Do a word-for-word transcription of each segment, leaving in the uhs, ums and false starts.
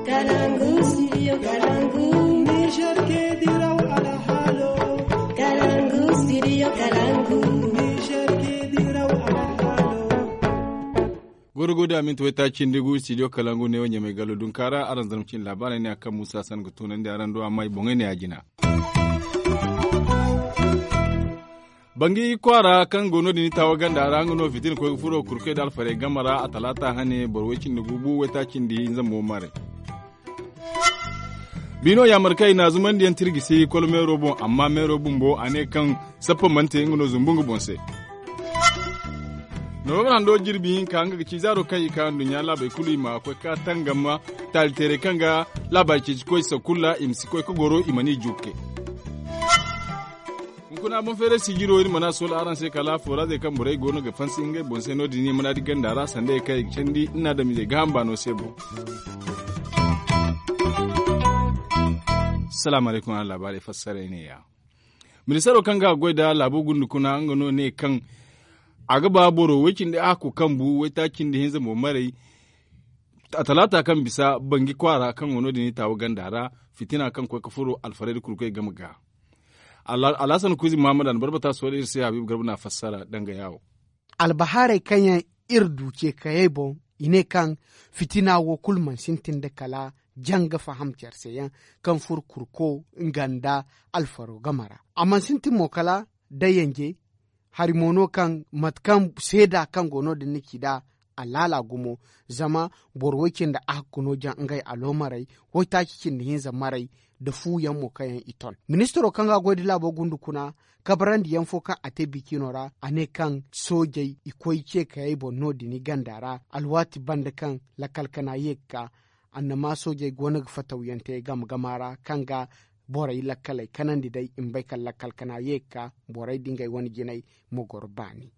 Kalangu, studio Kalangu. Niger ke diraw alhalo. Kalangu, studio Kalangu. Niger ke diraw alhalo. Goro go da minti wayta cindi gu studio Kalangu ne wo ɲamay galo dunkaara araŋ zarma cin laabaarey ne a kaŋ musa san ga tunandi araŋ do amma i boŋey ne a jina. Bangi kwaara kaŋ go no- din taawa ganda ra nga no fitina koy ga furo kurkey da alfarey game ra a talaata hane boro way cindi gu bu wayta cindi hinza mo maray. Biino yaamar kaŋ i na a zumandi yaŋ tirgisi kolo meero boŋ amma meero bumbo a ne kaŋ sappa mana te nga no zumbu nga boŋ se. Novembar hando jirbi hinka nga ga ci zaaro kaŋ i ka nduɲɲa laabey kulu i ma koy ka tangam taali teeray kaŋ ga laabaari ceeci koy sakulla i ma si koy ka goro i mana i jukke. Hunkuna boŋ feeray sijiro iri mana soola araŋ se kala fooraazey kaŋ borey go no ga fansi ngey boŋ se no- din i mana di ganda ra sanda ye kaŋ i ga candi nda adamizey ga hamba no se boŋ. Salaamu alaykum araŋ laabaarey fassaray ne- ya. Ministaro kaŋ ga goy nda laabo gundu kuna nga no ne kaŋ a ga ba boro way cindi ahakku kaŋ bu waytaaci nda hinza mo maray. A talaata kaŋ bisa bangi kwaara kaŋ go no- din i taawa ganda ra fitina kaŋ koy ga furo alfarey nda kurkey game ga. Alhasan kuzi muhammad a na barbata sohõ iri se habiibu garba no a fassara danga yaawo. Albahaarey kaŋ yaŋ iri du ce kayey boŋ i ne kaŋ fitina wo kulu mana sintin nda kala janga faham care se yaŋ kaŋ furo kurko nga nda alfaro game ra. A mana sintin mo kala da yanje hari mo no kaŋ mate kaŋ seeda kaŋ go no- din na ci nd'a a laala gumo. Zama boro way cindi ahakku no jaŋ ngey aloomarey waytaaci cindi hinza maray nda fu yaŋ mo kaŋ yaŋ i ton. Ministaro kaŋ ga a goy nda laabo gundu kuna kabarandi yaŋ fo kaŋ a te bikino ra a ne kaŋ soojey i koy ce kayey boŋ no- din i ganda ra alwaati banda kaŋ lakkal kana ye ga ka. Annama soojey go no ga fataw yaŋ te game game ra kaŋ ga borey lakkaley kanandi day i ma bay kala lakkal kana ye ga ka borey nda ngey wane jinay ma goro baani.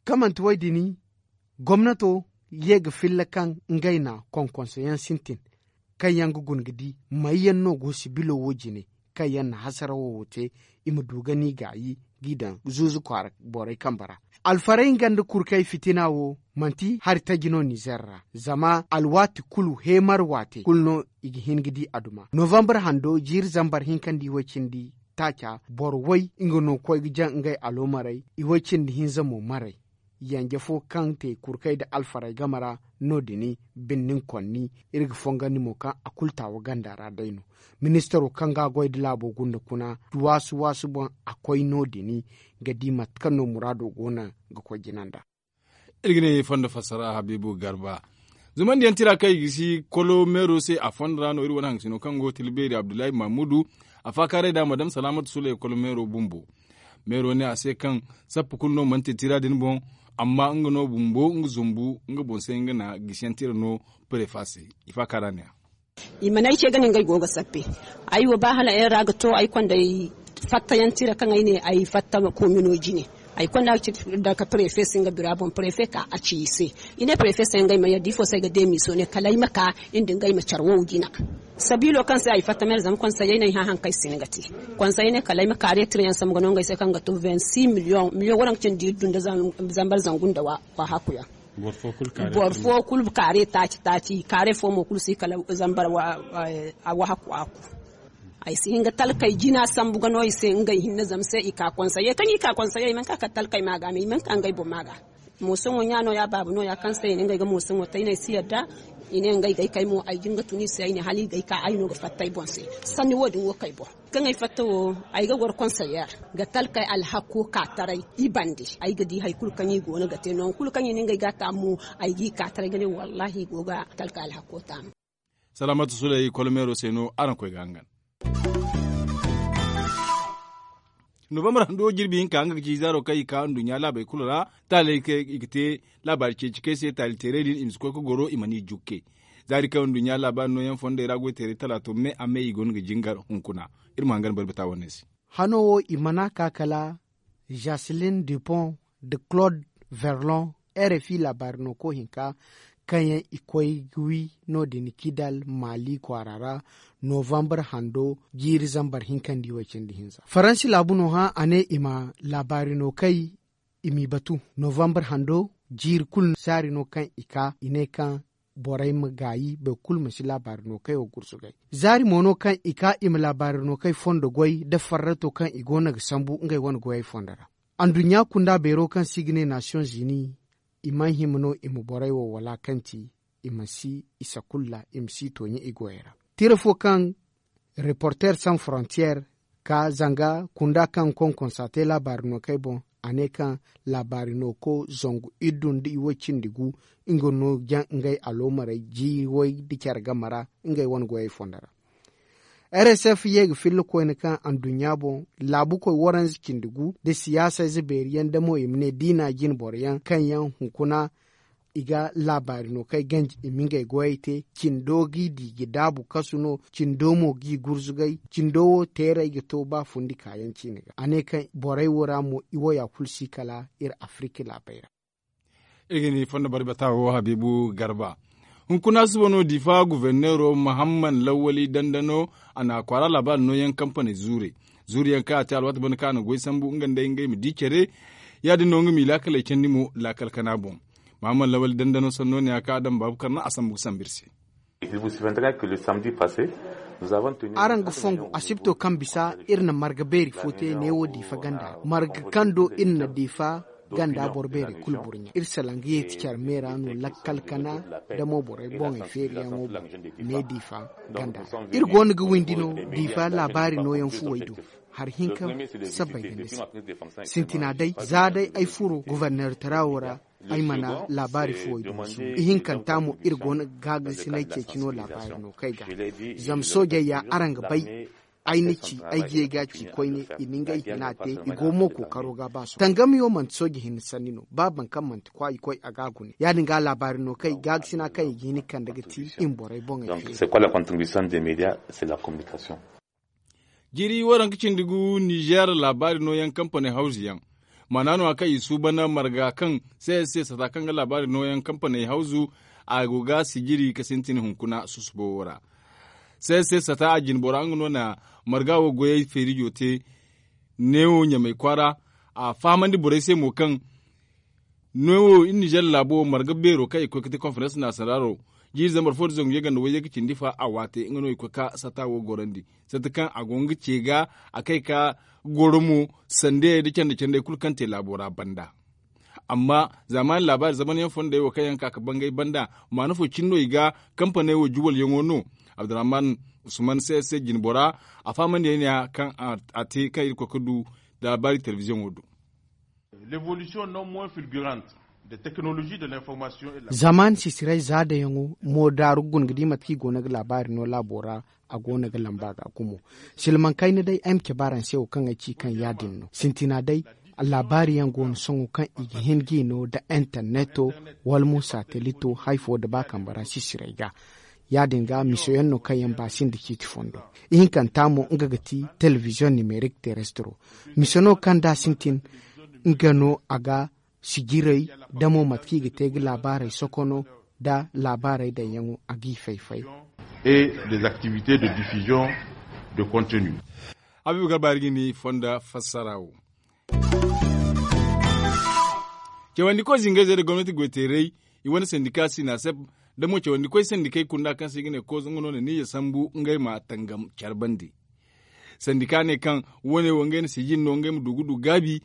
Kaŋ manti wo- din gomnato ye ga filla kaŋ ngey na konkonso yaŋ sintin kaŋ yaŋ ga guna ga di may yaŋ no go sibilo wo jine kaŋ yaŋ na hasarawo wo te i ma du ga ni gaayi g'i daŋ zuuzu kwaara borey kambe ra. Alfarey nga nda kurkey fitina wo manti hari taji no nizer ra zama alwaati kulu heemar waate kulu no i ga hin ga di a duma novambar hando jiiri zambar hinka nda iway cindi taaca boro way nga no koy ga jaŋ ngey aloomarey iway cindi hinza mo maray. Yanje fo kaŋ te kurkey nda alfarey game ra no- din birnin konni iri ga fongandi mo kaŋ a kulu taawa ganda ra day no. Ministaro kaŋ ga a goy nda laabo gunda kuna waasu waasu boŋ a koy no- din ga di mate kaŋ no muraado go no ga koy jina nd'a. Iri ga ne fondo fassara habiibu garba zumandiyaŋ tira kaŋ i ga si kolo meero se a fondo ra no iri wane haŋgasino kaŋ go ga tila beeri abdullahi mahmudu a faakaaray nd'a madam salaamatu sulay kolo meero bumbo. Meero ne a se kaŋ sappa kulu no mana te tira din boŋ amma nga no bumbo nga zumbu nga boŋ se nga na gisiyaŋ tira no prefa se. I faakaara ne a. I mana ay ce ga ne ngey go ga sappe. Ay wo ba hala ay ra ga to ay konday fattayaŋ tira kaŋ ay ne ay fatta komino jine. Ay konda ga ci daga prefe se nga bira boŋ prefe ka a ci i se. I ne prefe se ngey ma yadda ifo se ay ga deemiso ne kala ay ma ka i nda ngey ma care wo jina. Sabiilo kaŋ se ay fatta mere zama konsayey no ay hã haŋ kaŋ ay si hin ga te. Konsayey ne kala ay ma kaare tirayaŋ sambu ga no ngey se kaŋ ga to vingt six million million waranka cindi iri du nda zambar zangu nda wa hakuyaŋ. Boro fo kulu kaare taaci taaci kaare fo mo kulu si kala zambar wa haku haku. Ay si hin ga talkey jina sambu ga no i se ngey hinne zama se i ka konseye kaŋ i ka konseye i mana ka kala talkey ma ga me i mana ka ngey boŋ ma ga. Moosoŋo ɲa no ya baaba no ya kaŋ se i ne ngey ga moosoŋo te ay ne ay si yadda. I ne ngey ga ay kay mo ay jin ga tun i se ay ne hala i ga ay ka ay no ga fatta ay boŋ se. Sanni wo- din wo kay boŋ kaŋ ay fatta wo ay ga goro konseyer ga talkey alhakko ka taray i bande. Ay ga di hari kulu kaŋ i go no ga te nangu kulu kaŋ i ne ngey ga a taamu mo ay g'i ka taray ga ne wallaahi i go ga talkey alhakko taamu. Salaamatu sulay kolomeero se no araŋ koy ga hangan. Novambar hando jirbi hinka nga ga ci zaaro kaŋ i ka nduɲɲa laabey kulu ra taaley kaŋ i ga te laabaari ceeci kaŋ ay se taali teerey din i ma si koy ga goro i mana i jukke. Zaari kaŋ nduɲɲa laabaari nooyaŋ fondey ra goy teerey talaato me a me i go no ga jingar hunkuna. Iri ma hangan barbata wane se. Hano wo i mana ka kala jaselin dupont nda claude verlon rfi laabaari no ko hinka kaŋ yaŋ i koy ga wi no- din kidal maali kwaara ra novambar hando jiiri zambar hinka nda iway cindi hinza faransi laabu no hã a ne i ma laabaari no kay i m'i batu novambar hando jiiri kulu zaari no kaŋ i ka i ne kaŋ borey ma gaayi boro kulu ma si laabaari no kay wo gurzugay. Zaari mo no kaŋ i ka i ma laabaari no kay fondo goy nda farrato kaŋ i go no ga sambu ngey wane goyey fondo ra. Anduɲɲa kunda beero kaŋ se i ga ne nasiyoŋ zini, i mana hima no i ma borey wo wala kaŋ ti i ma si isa kulu ra i ma si i tooɲe i goyey ra. Tira fo kaŋ reporter san frontier ka zanga kunda kaŋ konkonsate laabaari no kay boŋ, a ne kaŋ laabaari no ko zangu iddu nda i wo cindi gu nga no jaŋ ngey aloomarey jiiri way nda care game ra ngey wane goyey fondo ra. Rsf ye ga filla koyne kaŋ anduɲɲa boŋ laabukoy waranza cindi gu nda siyaasa ize beeri yaŋ nda mo i ma ne diina jine boro yaŋ kaŋ yaŋ hunkuna i ga laabaari no kaŋ ay ganji i ma ngey goyey te. Cindo g'i di ga daabu kasu no. Cindo mo g'i gurzugay. Cindo wo teeray ga to ba fundi kaayaŋ ciine ga a ne kaŋ borey wo ra mo i wo ya kulu si kala iri afirika laabey ra. Iri ga ni fondo bari bata wo habiibu garba. Hunkuna suba no diifa guverneero mahamman lawwali dandano a na kwaara laabaari nooyaŋ kampaney zuure. Zuuriyaŋ kaŋ a te alwaati banda kaŋ a na goy sambu nga nda ngey ma di care. Ya- din no nga m'i laakaley candi mo laakal kana boŋ. Mahamman lawwali dandano sanno ne ya kaŋ a daŋ baabu karna a sambu ga sambu iri se. Araŋ ga fongu asibto kaŋ bisa iri na marga beeri fo te neewo diifa ganda ra marga kaŋ do iri na diifa ganda boro beeri kulu burɲe iri salaŋ ga yeeti care me ra no lakkal kana nda mo borey boŋey feeriyaŋo boŋ ne diifa ganda ra iri go no ga windi no diifa laabaari nooyaŋ fuwey do hari hinka sabbay ganda se. Sintina day za day ay furo goforneer tara wo ra ay mana laabaari fuwey do. Ihinkanta mo iri go no ga gaagasinay ceeci no laabaari no kaŋ ay ga zama soojey ya araŋ ga bay. Ay na ci ay ga ye ga ci koyne i na ngey hina te i go mo kookaro ga ba sohõ tangamiyo manti sooje hinne sanni no ba boro kaŋ manti kwaayi koy a ga a gune ya- din ga laabaari no kaŋ i gaagasina kaŋ i ga hin ga kande ga ti i ma borey boŋey feeri. Jiiri waranka cindi gu nizeer laabaari nooyaŋ kampaney hawzu yaŋ. Maana no- ya kaŋ i suuban marga kaŋ se se sata kaŋ ga laabaari nooyaŋ kampaney hawzu a go ga sijiri ga sintin hunkuna susubo wo ra. Se se sata a jinbora nga no na marga wo goyey feerijo te neewo ɲamey kwaara. A fahamandi borey se mo kaŋ neewo iri nizeer laabo marga beero kaŋ i ga koy ga te konfarans naasaraaro jiiri zambar fo nda zangu yaganda wayye ga cindi fa a waate nga no i ga koy ga sata wo gorandi. Sata kaŋ a go nga ce ga a kay ga goro mo sandeyey nda canda candey kulu kaŋ te laabo ra banda. Amma zaamaani laabaari zamanyaŋ fondey wo kaŋ yaŋ ga ka ga bangay banda maana fo cine no i ga kampaney wo juwalyaŋo no. Abdurrahman usman se se jinbora a fahamandi ay ne ya kaŋ a te kaŋ iri ga koy ga du laabaari telebiziyoŋo do. L'évolution non moins fulgurante des technologies de l'information et de la zamaani sisiray zaadayaŋo mo daaru guna ga di mate kaŋ i go no ga laabaari no laabo ra. A go no ga lamba ga gumo silmaŋ kayna day ay ma cabe araŋ se wo kaŋ ay ci kaŋ ya- din no sintina day. Laabaari yaŋ go no sohõ kaŋ i ga hin g'i no nda interneto wala mo satelito hari fo nda ba kambe ra sisiray ga. Ya- din ga misoyaŋ no kaŋ yaŋ ba sinda ciiti fondo. Ihinkanta mo nga ga ti telebiziyoŋ nimerik terestro mise no kaŋ da sintin nga no a ga sijirey da mo mate kaŋ i ga te ga laabaarey sokono nda laabaarey daŋyaŋo a g'i fay-fay. Et des activités de diffusion de contenu. Habiibu garba iri ga ni fonda fassara wo. Cawandiko zingayzey nda gomnati goyteerey i wane sandika sinasep nda mo cawandikoy sandikey kunda kaŋ se i ga ne kozo nga no na niize sambu ngey ma tangam care bande. Sandika ne kaŋ wo- ne wo ngey na sijiri no ngey ma du ga du gaabi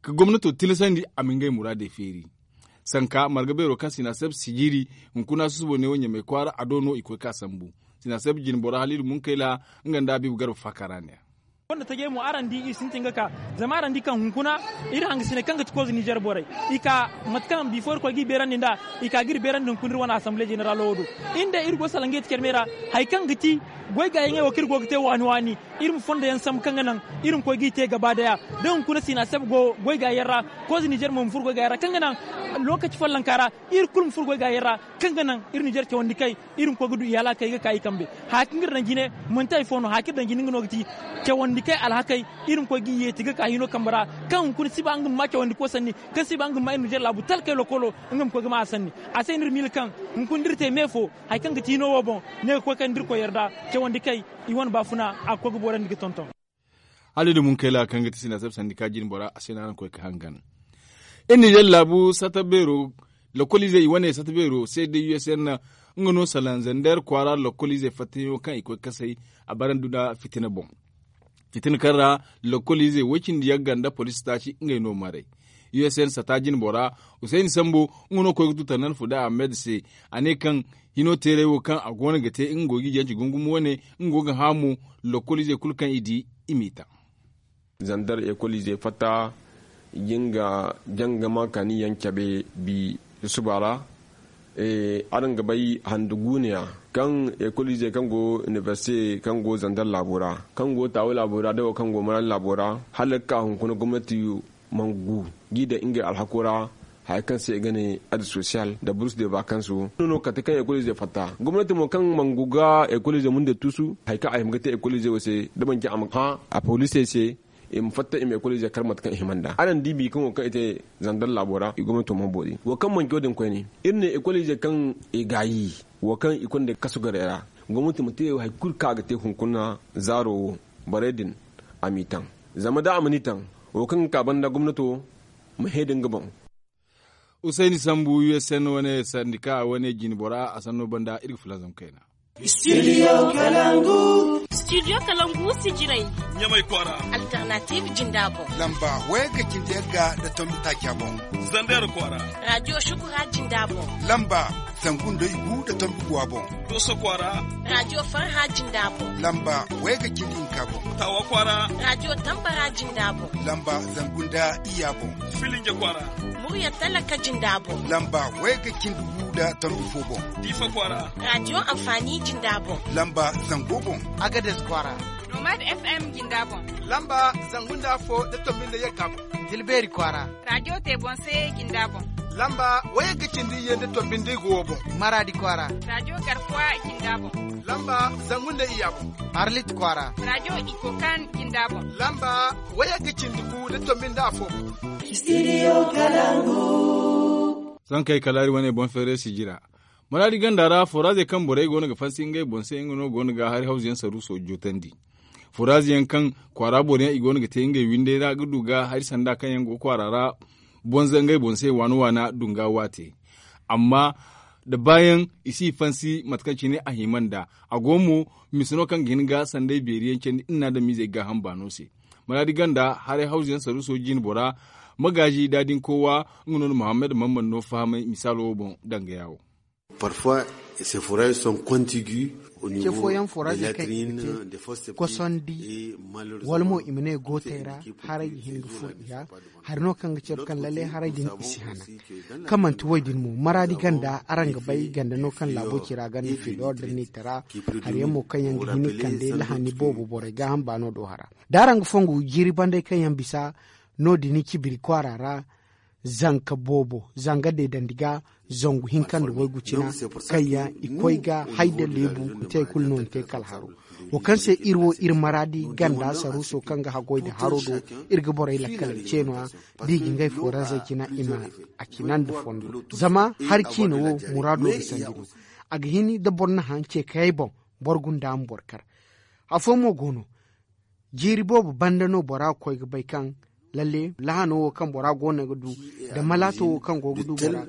ka gomnato tilasandi a ma ngey muraadey feeri. Sanka marga beero kaŋ sinasep sijiri hunkuna susubo ne wo ɲamey kwaara a do no i koy ka sambu. Sinasep jinbora haliilu munkayla nga nda habiibu garba faakara ne ya. Gonda tajey mo araŋ di i sintin ga ka zama araŋ di kaŋ hunkuna iri hangasine kaŋ ga ti kozo nizer borey i ka mate kaŋ bifo iri koy ga i beerandi nd'a i ka ga iri beerandi hunkuna iri wane asamble zeneralo wo do. Iri day iri go salaŋ ga yeeti care me ra hari kaŋ ga ti goy gaayaŋey wo kaŋ iri go ga te waani waani iri ma fondo yaŋ sambu kaŋ ga naŋ iri ma koy ga i te gaba daya da hunkuna sina sabe go goy gaayaŋ ra. Kozo nizer mo ma furo goy gaayaŋ ra kaŋ ga naŋ lokaci follonka ra iri kulu ma furo goy gaayaŋ ra kaŋ ga naŋ iri nizer cawandi kay iri ma koy ga du i hala kay ga ka i kambe. Haya kaŋ ga iri daŋ jine manti hari fo no haya kaŋ iri daŋ jine nga no ga ti cawandi kay alhakey iri ma koy ga i yeeti ga ka hino kambe ra kaŋ hunkuna si ba nga ma ma cawandiko sanni kaŋ si ba nga ma ma iri nizer laabu talkey lokolo nga ma koy ga ma a sanni. A se no iri miila kaŋ hunkuna da iri te me fo hari kaŋ ga ti hino wo boŋ ne ga koy kayna da iri koy yarda cawandi kay i wane baafuna a ga koy ga boorandi ga tonton. Hala da munkayla kaŋ ga ti sina sabe sandika jine bora a se no araŋ koy ga hangan. Iri nizer laabu sata beero lokoliizey i wane sata beero se day u s n nga no salaŋ zander kwaara lokkoliizey fattayaŋo kaŋ i koy kasay a barandi nda fitina boŋ. Fitina kaŋ ra lokkoliizey woy cindi yagga nda poliisi taaci ngey no maray. Usn sata jinbora, husayni sambu nga no koy ga tuta nanfu da ahmed se. A ne kaŋ hino teeray wo kaŋ a go no ga te nga go ga i jance gungum wane nga go ga haamu lokkoliizey kulu kaŋ i di i m'i ta. Zandar ekoliizey fatta jinga jangama kaani yaŋ cabe bi suba ra. Araŋ ga bay hande guuneya kaŋ ekoliizey kaŋ go inibersite kaŋ go zandar laabo ra, kaŋ go taawo laabo ra da wo kaŋ go maraani laabo ra, hala ga ka hunkuna gomnati mangu g'i daŋ ngey alhako ra. Haya kaŋ se i ga ne ad sosiyal nda burus de vakanso no no kate kaŋ ekoliizey fatta gomnati mo kaŋ mangu ga ekoliizey munde tuusu haya kaŋ a hima ga te ekoliizey wo se da manci a ma hã a poliisey se. I ma fatta i ma ekoliizey kar mate kaŋ i hima nd'a araŋ di bi kaŋ wo kaŋ i te zandar laabo ra i gomnato mana boori wo kaŋ manci wo- din koyne. Iri ne ekoliizey kaŋ i gaayi wo kaŋ i konda kasu garey ra gomnati ma te hari kulu kaŋ a ga te hunkuna zaaro wo borey din a m'i taŋ. Zama da a mana i taŋ wo kaŋ ga ka banda gomnato ma he da nga boŋ. Usayni sambu usn wane sandika wane jinbora a sanno banda iri ga fulanzam kayna. Studio kalangu sijiray ɲamay kwaara. Alternative jinda boŋ lamba wayga cindi yagga nda tombi taaca boŋ. Zander kwaara radio shukura jinda boŋ lamba zangu nda igu nda tombi guwa boŋ. Doso kwaara radio farha jinda boŋ lamba wayga cindi hinka boŋ. Tawa kwaara radio tambara jinda boŋ lamba zangu nda iya boŋ. Filinje kwaara murya talaka jinda boŋ lamba wayga cindi gu nda tombi fo boŋ. Diifa kwaara radio anfaani jinda boŋ lamba zango boŋ. Agades kwaara nomad fm jinda boŋ lamba zangu nda afo nda tombi nda yagga boŋ. Tilbeeri kwaara radio te boŋ se jinda boŋ lamba wayga cindi ye nda tombi nda igu wo boŋ. Maraadi kwaara radio garkuwa jinda boŋ lamba zangu nda iya boŋ. Arlit kwaara radio ikokan jinda boŋ lamba wayga cindi gu nda tombi nda afo boŋ. Sankey kalaari wane boŋ feeray sijira maraadi ganda ra foraazey kaŋ borey go no ga fansi ngey boŋ se nga no go no ga hari hawzuyaŋ saruuso jootandi. Foraazey yaŋ kaŋ kwaara boro yaŋ i go no ga te ngey windey ra ga du ga hari sanda kaŋ yaŋ go kwaara ra bonza ngey boŋ se waana waana dunga waate. Amma da baayaŋ i si i fansi mate kaŋ cine a hima nd'a. A go mo mise no kaŋ ga hin ga sanday beeri yaŋ candi nna adamizey gaaham baano se. Maraadi ganda haray hawzuyaŋ saruuso jinbora magaazi daadin kowa nga no na muhammad mamman no fahamay misaalo wo boŋ danga yaawo. Parfois ces forages sont contigus au niveau des latrines des fosses septiques. Kosondi wala mo i ma ne gootey ra haray ga hin ga furo i ra. Hari no kaŋ ga cabe kaŋ lalle haray din i si hana kaŋ manti wo- din mo maraadi ganda araŋ ga bay ganda no kaŋ laabo ci ra ganda filor da ni tara. Hari yaŋ mo kaŋ yaŋ ga hin ga kande lahani boobo borey gaaham baano do hara da araŋ ga fongu jiiri bandey kaŋ yaŋ bisa no- din cibiri kwaara ra. Zanka boobo zanga deedandi ga zangu hinka nda waygu cina kaŋ yaŋ i koy ga hay da leebu ga te kulu no ni te kala haro. Wo kaŋ se iri wo iri maraadi ganda saruuso kaŋ ga haggoy nda haro do iri ga borey lakkaley ce no- ya da i ga ngey fooraŋ zay cina i ma a cina nda fondo. Zama hari ciina wo muraado ga sandi no. A ga hin da boro na haŋ ce kayey boŋ boro gunda ma boro kar. Afooyaŋ mo go no jiiri boobo banda no bora ga koy ga bay kaŋ lalle lahano wo kaŋ bora go no ga du nda malaato wo kaŋ go ga du bora.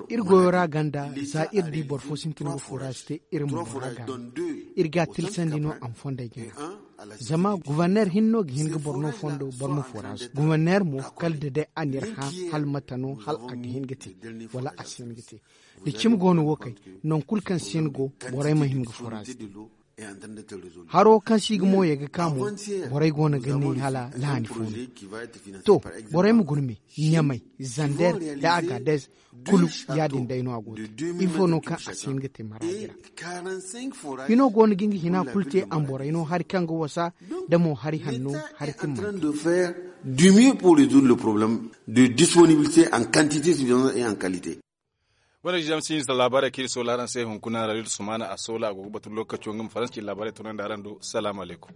Iri goyo ra ganda za iri di boro fo sintin ga fura si te iri ma bora ga iri ga tilsandi no a ma fondey jina. Zama guverner hinne no ga hin ga boro no fondo boro ma fura si guverner mo kala da day a n'iri hã hala mate no hala a ga hin ga te wala a si hin ga te. Da cimi go no wo kay nangu kulu kaŋ si hin go borey ma hin ga fura si. Haro kaŋ si ga mo ye ga ka mo borey go no ga ne hala lahani fo no. To borey ma guna me ɲamay zander nda agades kulu ya- din day no a go te. Ifo no kaŋ a si hin ga te maraadi ra? Hino go no ga nga hina kulu te amborey no hari kaŋ ga wasa da mo hari hanno hari timma. Du mieux pour résoudre le problème de disponibilité en quantité suffisante et en qualité. Wane ga zama sinji sa laabaarey kaŋ iri soola araŋ se hunkuna radio da sumaana a soola a go ga batu lookaco nga ma faransi ci laabaarey tunandi araŋ do salaamu alaykum.